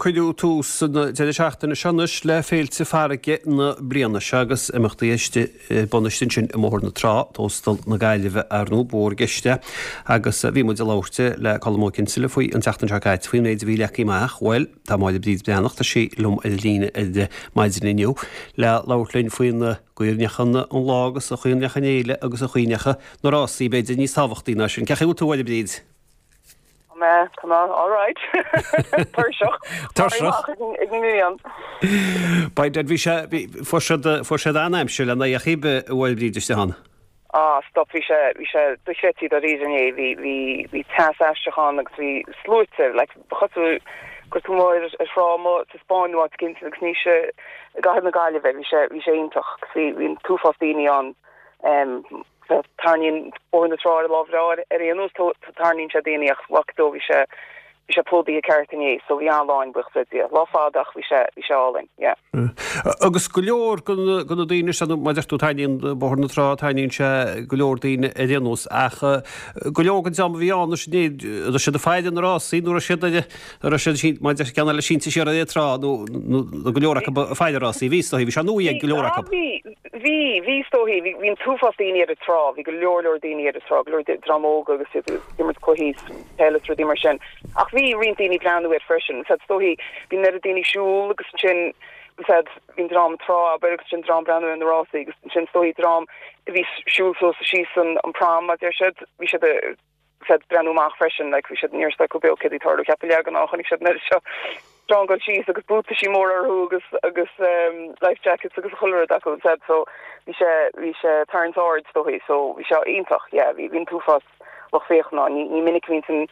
Cuireadh tús an deireadh seachtaine seo anois le féilte farraige na bliana seo agus imeachtaí istigh ar bun istigh ansin i mBóthar na Trá, Tóstal na Gaillimhe ar ndóigh ba mhór i gceist é agus bhí muid ag labhairt le Colm Ó Cinnseala faoi an tseachtain seo caite faoin méid a bhí leagtha amach. Bhuel, tá Máire Bríd Breathnach, tá sí liom ar an líne ar maidin inniu le labhairt linn faoin gcaoi a ndeachaigh an lá agus an chaoi a ndeachaigh an fhéile agus an chaoi a ndeachaigh na rásaí b'fhéidir níos tábhachtaí ná sin. Cén chaoi a bhfuil tú a Mháire Bríd? Tá mé, tá mé alright. Tuirseach. Tuirseach. Ag an ngrian. By dad, bhí sé, bhí, fuair siad, fuair siad an-aimsir lena aghaidh a Mháire Bríd istigh ann. Ah, stop, bhí sé, bhí sé dochreidte dáiríre inné, bhí, bhí, bhí teas aisteach ann agus bhí sluaite, like, ba chosúil go raibh tú amuigh ar, ar thrá amuigh sa Spáinn nó áit éicint agus ní sa, i gcathair na Gaillimhe, bhí sé, bhí sé iontach agus bhí, bhí an t-uafás daoine ann, em, Tarraingíonn Bóthar na Trá ar lá breá ar aon nós, tarraingíonn sé daoine ach bhfaca tú, bhí sé, bhí sé plódaithe ceart inné so bhí an-lá ann buíochas le Dia. Lá fada ach bhí sé, bhí sé álainn, yeah. Agus go leor de na daoine seo, mar a deir tú, tarraingíonn Bóthar na Trá, tarraingíonn sé go leor daoine ar aon nós ach go leor den dream a bhí ann anois inné, raibh siad ag faire na rásaí nó raibh siad ar, raibh siad, mar a deir ceann eile, sínte siar ar an trá nó go leor acu ag faire rásaí, bhí is dóichí, bhí sé nua ag go leor acu. Bhí, bhí, bhí is dóichí, bhí, bhí an t-uafás daoine ar an trá, bhí go leor leor daoine ar an trá, go leor dream óg agus iad ag imirt cluichí peile is rudaí mar sin. Ach bhí roinnt daoine ag breathnú air freisin. Is dóichí, bhí an oiread daoine ag siúl agus ansin, is bhí an dream trá abair agus ansin dream breathnú ar na rásaí agus ansin is dóichí dream a bhí ag siúl suas is síos an, an prom, a deir siad, bhí siad ag, siad ag breathnú amach freisin, like, bhí siad, ní raibh a fhios acu beo céard a bhí ag tarlú, cheap a leath den am, chonaic siad an oiread seo dream ag dul síos agus buataisí móra orthu agus, agus um, life jackets agus chuile rud acu instead, so bhí sé, bhí sé ag tarraingt aird is dóichí, so bhí sé iontach, yeah, bhí, bhí an t-uafás lucht féachana ann, ní, ní minic a bhíonn san,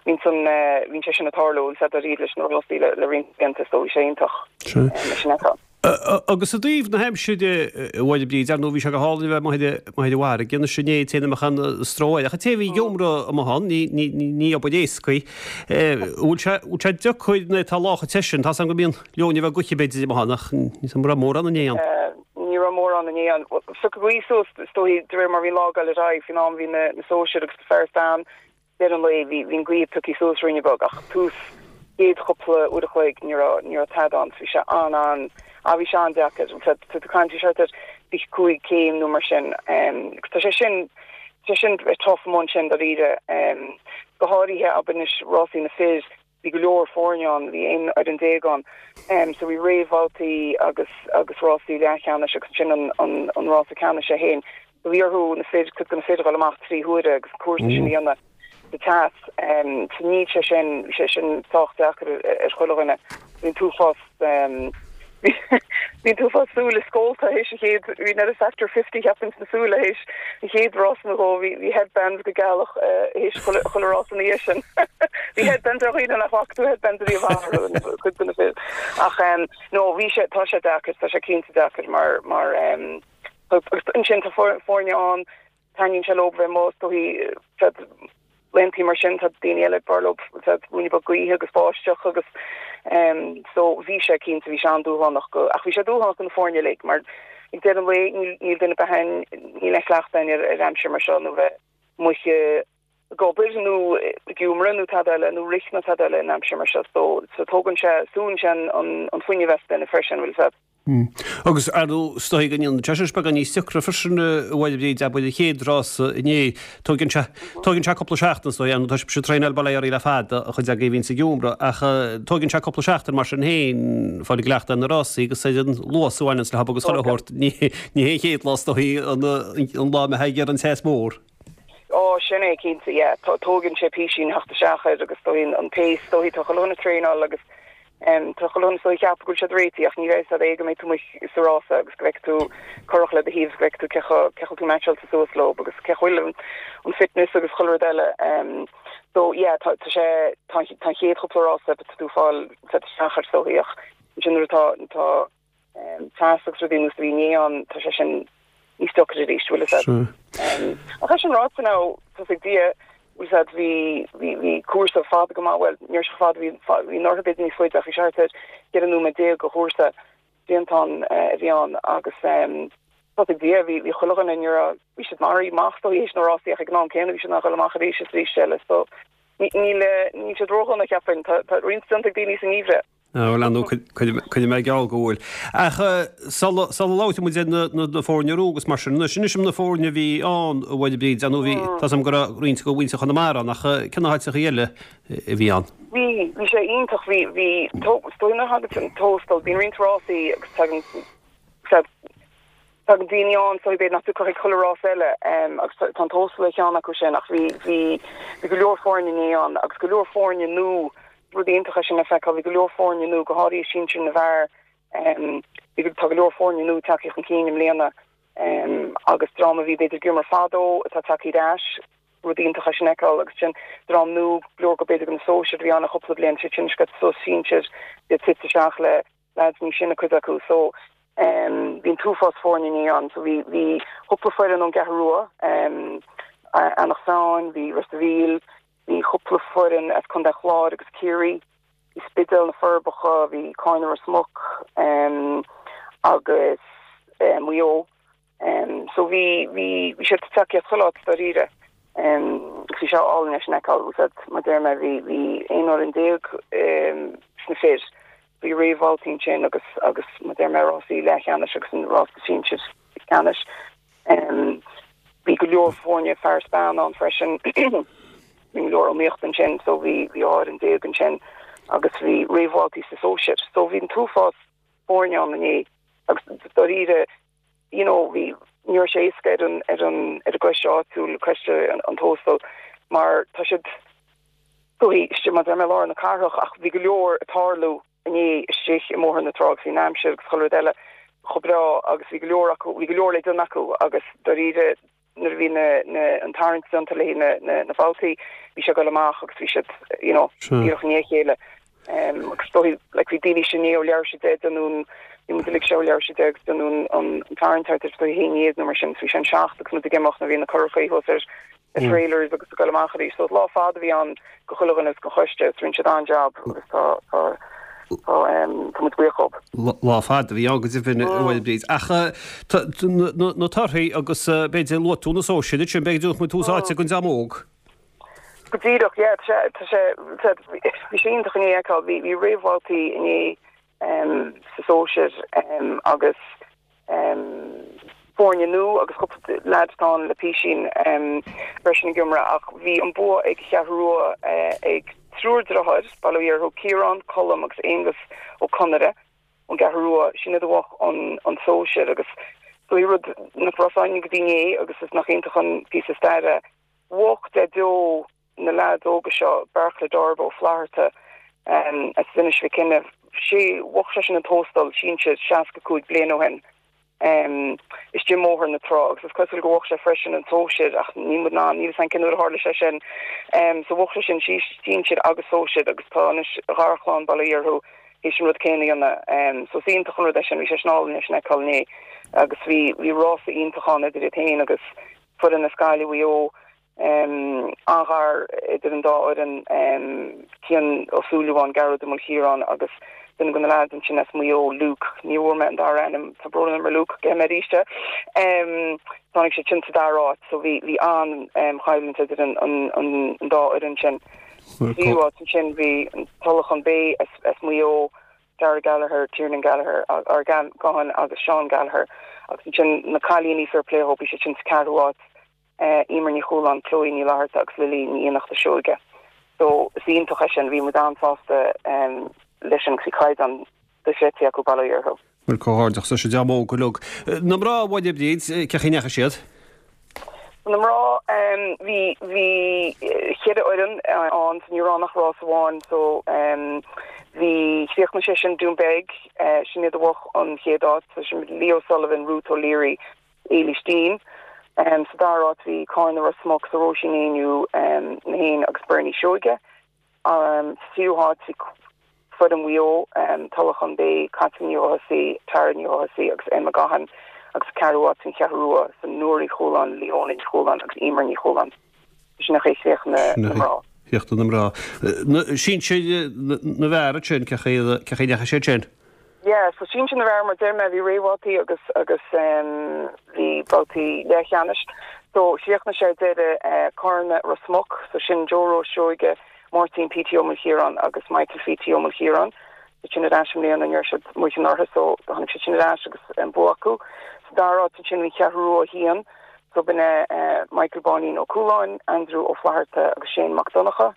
bhíonn san, eh, bhíonn sé sin ag tarlú instead dáiríre leis na rásaí le, le roinnt blianta, so bhí sé iontach, Sea. um, leis an fheiceáil. Agus i dtaobh na haimsire, a Mháire Bríd, ar ndóigh bhí sé go hálainn a bheith amuigh ar an bhfarraige anois inné, an té nach mbeadh aon stró air, ach an té a bhí ag iomradh amuigh ann, ní obair éasca í. Bhfuil sé, bhfuil sé deacair nuair atá lá chomh te sin, tá's agam go mbíonn leoithne bheag gaoithe b'fhéidir amuigh ann ach ní raibh mórán inné ann. Ní raibh mórán inné ann. Phioc an ghaoth suas, is dóichí, de réir mar a bhí an lá ag dul ar aghaidh, faoin am a bhí na sóisir agus na fear is bean Deireadh an lae bhí bhí an ghaoth pioctha suas ruainne beag ach tús chéad chúpla uair a chloig ní raibh ní raibh tada ann so bhí sé an an ah bhí sé an-deacair tá tú ag caint bhí sé thart ar 25 céim nó mar sin agus tá sé sin tá sé sin tough amuigh ansin dáiríre go háirithe abair anois rásaí na fir Bhí go leor foirne ann, bhí 11 fhoireann ann. So bhí réamhbhabhtaí agus agus rásaí leathcheannais agus ansin an an an rása ceannais é féin. So bhí orthu na fir, cuid de na fir a dhul amach 3 huaire agus an cúrsa sin a dhéanamh sa teas. So níl sé sin, bhí sé sin sách deacair ar chuile dhuine. Bhí an t-uafás Bhí an t-uafás súile scólta théis an chéad, bhí an oiread factor 50 cheapfainn sna súile théis an chéad rása nó dhó, bhí bhí headbands go gealach théis chuile chuile rása ina dhiaidh sin. Bhí headbands ar dhaoine nach bhfaca tú headbands ariamh orthu, cuid de na fir. Ach no bhí sé, tá sé deacair, tá sé cinnte deacair mar mar agus ansin tá foirne ann Taitníonn sé leo bheith amuigh is dóichí laethantaí mar sin tá daoine eile b'fhearr leo ruainne beag gaoithe agus báisteach agus so bhí sé cinnte bhí sé an-dúshlánach go ach bhí sé dúshlánach do na foirne uilig mar ag deireadh an lae níl níl duine ar bith againn níl aon chleachtadh againn ar ar aimsir mar seo nó bheith amuigh ag obair nó ag iomradh nó tada eile nó rith nó tada eile in aimsir mar seo so so tógann sé súnn sé an an an fuinneamh as duine freisin bhfuil a fhios agat. Agus ar ndóigh, is dóigh go ndéanann sé sin beagán níos deacra freisin a Mháire Bríd, abair an chéad rása inné. Tóigeann sé, tóigeann sé cúpla seachtain is dóigh, ar ndóigh tá sibhse ag traenáil bail ó Dhia oraibh le fada, an chuid agaibh a bhíonns ag iomradh, ach tóigeann sé cúpla seachtain mar sin féin fáil i gcleachtadh ar na rásaí agus ar an luas a bhaineanns leo agus chuile shórt. Ní, ní hé an chéad lá is dóigh an, an lá a mbeifeá ag iarraidh an teas mór. Ó, sin é cinnte, yeah. Tóigeann sé písín theacht isteach air agus is dóigh an pace, is dóigh tá chuile dhuine ag traenáil agus Tá chuile dhuine is dóigh ag ceapadh go bhfuil siad réitithe ach ní bheidh a fhios agat go mbeidh tú amuigh sa rása agus go bhfeicfidh tú curach le do thaobh agus go bhfeicfidh tú cé chomh cé chomh tú meaitseáilte suas leo agus cé chomh bhfuil an fitness agus chuile rud eile. So yeah tá tá sé tá tá an chéad chúpla rása tá tú ag fáil set isteach air is dóigh ach ansin nuair atá tá teas agus rudaí ar nós a bhí inné ann, tá sé sin níos deacra arís, bhfuil a fhios agat. Ach é sin ráite now, tá a fhios ag Dia, bhfuil a fhios agat, bhí, bhí, bhí cúrsa fada go maith, bhuel, ní raibh sé fada, bhí, bhí an oirthear b'fhéidir níos faide ach bhí sé thart ar 14 nóiméad de chúrsa triantán a bhí ann agus tá a fhios ag Dia, bhí, bhí chuile dhuine, ní raibh, bhí siad maraithe amach is dóigh théis na rásaí ach ag an am céanna bhí siad in ann dhul amach arís is arís eile so níl, níl siad ródhona cheapfainn, tá, tá roinnt déanta ag daoine sa ngeimhreadh. Bhuel, ar ndóigh, coinneoidh mé geall go bhfuil. Ach sula labhróidh muid ar na foirne a agus mar sin, anois, inis dom na foirne a bhí ann, a Mháire Bríd, ar ndóigh bhí, tá 's agam go raibh roinnt de mhuintir Chonamara ann, ach cé na háiteachaí eile a bhí ann? Bhí, bhí sé iontach, bhí, bhí, is dóigh nuair a thagann an Tóstal, bíonn roinnt rásaí agus tagann, Tagann daoine ann so b'fhéidir nach dtiocfadh chuig chuile rás eile agus tá an Tóstal ar cheann acu sin ach bhí, bhí, bhí go leor foirne inné ann agus go leor foirne nua, rud iontach é sin le feiceáil, bhí go leor foirne nua, go háirithe sinsir na bhfear, bhí, tá go leor foirne nua tagtha chun cinn i mbliana agus dream a bhí b'fhéidir ag imirt fadó atá tagtha ar ais, rud iontach é sin a fheiceáil agus sin dream nua, go leor go b'fhéidir go na sóisir a bhí ann le cúpla bliain, siad sin ag suas sinsir, iad tite isteach le lads níos sine cuid acu so em bhí an t-uafás foirne inné ann so bhí bhí cúpla foireann ón gCeathrú Rua em Eanach Mheáin, bhí Ros a' Mhíl, bhí cúpla foireann as Contae an Chláir agus Ciarraí, bhí Spidéal, Na Forbacha, bhí Cárna Ros Muc em agus eh Maigh Eo. So bhí, bhí, bhí siad tagtha as chuile áit dáiríre. Agus bhí sé álainn é sin a fheiceáil. Bhfuil a fhios agat, mar deir mé, bhí, bhí 11 fhoireann sna fir. Bhí réamhbhabhtaí ansin agus, agus mar deir mé, rásaí leathcheannais agus an rása sinsir ceannais. Bhí go leor foirne fear is bean ann freisin. Bhí go leor iomaíocht ansin so bhí, bhí 12 fhoireann ansin agus bhí réamhbhabhtaí sa sóisir. So bhí an t-uafás foirne ann inné agus dáiríre, you know, bhí, ní raibh sé éasca ar an, ar an, ar an gcoiste áitiúil, coiste an Tóstail, mar tá siad istigh, mar deir mé, i lár na cathrach ach bhí go leor ag tarlú inné istigh i mBóthar na Trá agus bhí an aimsir agus chuile rud eile chomh breá agus bhí go leor acu, bhí go leor le déanamh acu agus dáiríre, nuair a bhí na, na, an tarraingt déanta le na, na, na babhtaí, bhí sé ag dul amach agus bhí siad, you know, díreach i ndiaidh a chéile. Um, agus dóigh, like, bhí daoine sin ó leabhar sé de den bhí muid uilig seo leabhar sé de agus den an, an tarraingt thart ar a haon dhéag nó mar sin, so bhí sé an seacht agus muid ag imeacht nuair bhí na curachaí thuas ar na trailers agus ag dul amach arís. So lá fada a bhí ann go chuile dhuine agus don choiste, is rinne siad an-jab agus tá, tá, Tá tá muid buíoch dhóibh. Lá fada a bhí ann go deimhin, a Mháire Bríd. Ach na torthaí agus b'fhéidir luaigh tú na sóisir ansin, b'fhéidir go dtabharfadh muid tús áite don dream óg. Go díreach, yeah, tá sé, tá sé, bhí sé iontach inné a fheiceáil, bhí, bhí réamhbhabhtaí inné sa sóisir agus foirne nua agus cúpla leaid atá ann le písín freisin ag imirt ach bhí an bua ag an Cheathrú Rua ag triúr deartháir, bail ó Dhia orthu, Ciarán, Colm agus Aonghus Ó Conaire ón gCeathrú Rua, sin iad a bhuaigh an sóisir agus is rud nach raibh a fhios againn go dtí inné agus is nach iontach an píosa staire. Bhuaigh Daideo na leaids óga seo, Bearcla Darb Ó Flatharta as Inis Mhic Cionnaith, sé, bhuaigh seisean an Tóstal sinsir 65 bliain ó shin istigh i mBóthar na Trá agus is cosúil go bhuaigh sé freisin an sóisir ach níl muid in ann, níl a fhios againn cén uair a tharla sé sin. So bhuaigh sé sin sinsir agus sóisir agus tá anois a gharchlann, bail ó Dhia orthu, théis an rud céanna a dhéanamh. So is iontach an rud é sin, bhí sé sin álainn é sin a fheiceáil inné agus bhí, bhí rása iontach ann idir iad féin agus foireann as Gaillimh, Mhaigh Eo. An-ghar idir an dá fhoireann, Cian Ó Súilleabháin, Gearóid Ó Maoilchiaráin agus duine de na leaids ansin as Maigh Eo, Luke, ní bhfuair mé an dara ainm, tá brón orm a Luke, gheobhaidh mé arís é. Tháinig siad sin sa dara háit so bhí bhí an-choimhlint idir an an dá fhoireann sin. Sa tríú háit ansin bhí an Tulachán Bay as as Maigh Eo, Dara Gallagher, Tiernan Gallagher, or Gahan agus Seán Gallagher agus ansin na cailíní fair play dhóibh, bhí siad sin sa ceathrú háit. Emer Ní Chualáin, Chloe Ní Fhlatharta agus Lily Ní Fhiannachta Seoige. So is iontach é sin, bhí muid an-sásta leis sin agus bhí caighdeán dochreidte acu, bail ó Dhia orthu. Bhuel, comhghairdeachas leis an dream óg uilig. Na mná, a Mháire Bríd, cén chaoi a ndeachaigh siad? Na mná, bhí, bhí cheithre fhoireann ann, so ní raibh ann ach rás amháin, so bhí, chríochnaigh sé sin Doonbeg, sin iad a bhuaigh an chéad áit, so sin Leo Sullivan, Ruth O'Leary, Éilís Deane. Sa dara háit bhí Cárna Ros Muc so Róisín Éinniú Lehane agus Bernie Seoige. Sa tríú háit bhí foireann Mhaigh Eo, Tulachán Bay, Caitlín Ní Fhothasaigh, Tara Ní Fhothasaigh agus Emma Gahan agus sa ceathrú háit bhí an Cheathrú Rua so Nóra Ní Chualáin, Leona Ní Chualáin agus Emer Ní Chualáin. Sin an chaoi a chríochnaigh na mná. Chríochnaigh na mná. Sinsir na bhfear ansin, cén chaoi a ndeachaigh siad sin? Yeah, so sinsir na bhfear, mar deir mé, bhí réamhbhabhtaí agus agus bhí babhtaí leathcheannais. So chríochnaigh sé ar deireadh Cárna Ros Muc, so sin Joe Rose Seoige, Máirtín P.T. Ó Maoilchiaráin agus Michael P.T. Ó Maoilchiaráin. Siad sin ar ais i mbliana, ní raibh siad amuigh anuraidh so tháinig siad sin ar ais agus an bua acu. Sa dara háit ansin bhí an Cheathrú Rua 1, so b'in é Michael Báinín Ó Cualáin, Andrew Ó Flatharta agus Shane Mac Donncha.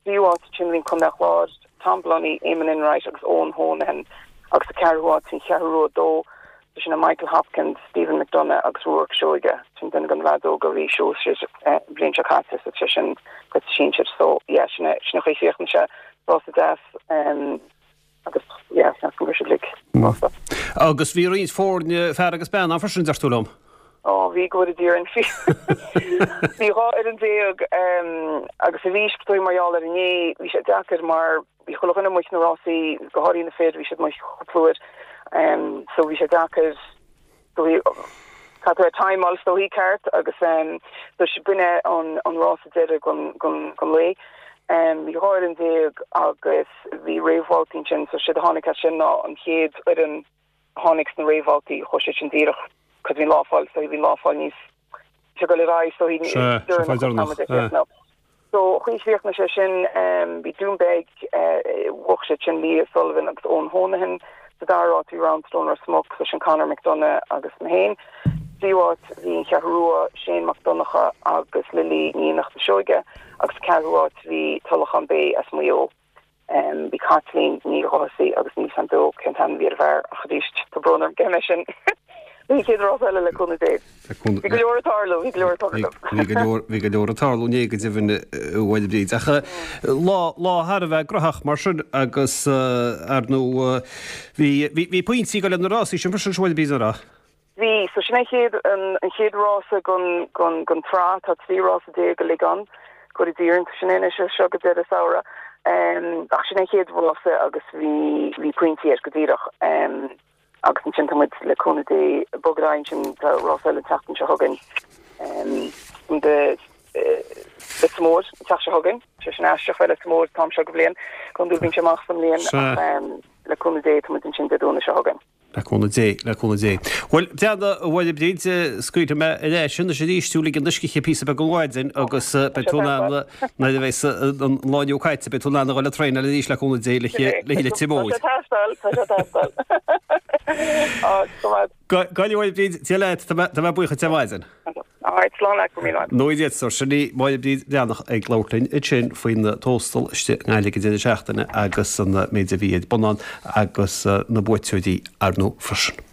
Tríú háit ansin bhí an Contae Chláir, Tom Blunny, Eamon Enright agus Eoin Honohan agus sa ceathrú háit bhí an Cheathrú Rua 2, so sin é Michael Hopkins, Stephen McDonagh agus Ruarc Seoige, sin duine de na leaids óga a bhí sóisir an bhliain seo caite so sé sin cuid de sinsir so yeah sin é sin an chaoi a chríochnaigh sé rása deas agus yeah seans go raibh siad uilig sásta. Agus bhí roinnt foirne fear agus bean ann freisin deir tú liom? Ó bhí go bhfóire Dia orainn bhí bhí 12 fhoireann agus arís b'fhéidir mar gheall ar inné bhí sé deacair mar bhí chuile dhuine amuigh sna rásaí go háirithe na fir bhí siad amuigh cúpla uair so bhí sé deacair so bhí caithfidh tú a timeáil is dóichí ceart agus so b'in é an an rása deiridh den den den lae. Bhí 12 fhoireann agus bhí réamhbhabhtaí ansin so siad a tháinig as sin ná an chéad fhoireann a tháinig sna réamhbhabhtaí chuaigh siad sin díreach cos bhí an lá fáil so bhí an lá fáil níos sé go le aghaidh so bhí deireanach So chaoi chríochnaigh sé sin, bhí Dún Beag, bhuaigh siad sin Leah Sullivan agus Eoin Honohan. Sa dara háit bhí Roundstone Ros Muc, so sin Conor McDonagh agus mé féin. Tríú háit bhí an Cheathrú Rua, Shane Mac Donncha agus Lily Ní Fhiannachta Seoige agus sa ceathrú háit bhí Tulachán Bay as Maigh Eo. Bhí Caitlín Ní Dhothasaigh agus níl 's a'm beo cén t-ainm a bhí ar an bhfear ach arís tá brón orm cé mé sin. Bhí an chéad rás eile le cúnamh Dé. Bhí go leor ag tarlú, bhí go leor ag tarlú. Bhí go leor, bhí go leor ag tarlú inné go deimhin a Mháire Bríd. Ach lá, lá thar a bheith graitheach mar sin agus ar ndóigh bhí, bhí pointí ag dul leis na rásaí sin freisin a Mháire Bríd an raibh? Bhí. So sin é an chéad, an chéad rása den, den, den tsraith. Tá 13 rása uilig ann. Go bhfóire Dia orainn, tá sin é anois as seo go deireadh samhradh. Ach sin é an chéad rása agus bhí, bhí pointí air go díreach. Agus ansin tá muid le cúnamh Dé ag bogadh ar aghaidh ansin, tá rása eile an tseachtain seo chugainn. Um, de Leitir Móir an tseachtain seo chugainn. Sé sin aisteach bheith Leitir Móir an t-am seo go bhliain. Go hiondúil bíonn sé amach sa mbliain ach le cúnamh Dé tá muid ansin Dé Domhnaigh seo chugainn. Le cúnamh Dé, le cúnamh Dé. Bhuel, breathnaigh, a Mháire Bríd, scaoilfidh mé ar ais anois arís thú lig do scíth píosa beag ar maidin agus beidh tú in ann, nuair a bheas an lá inniu caite, beidh tú in ann a dhul ag traenáil arís le cúnamh Dé le Leitir Móir. Tá sé ag teastáil, tá sé ag teastáil. Á, go maith. Go a Mháire Bríd, Dia leat, tá mé buíoch duit ar maidin. Alright, slán leat, go raibh míle maith. Nó iad sórt sin í Máire Bríd Breathnach ag labhairt linn ansin faoin Tóstal istigh i nGaillimh ag an deireadh seachtaine agus an méid a bhí ar bun ann agus na buaiteoirí ar ndóigh freisin.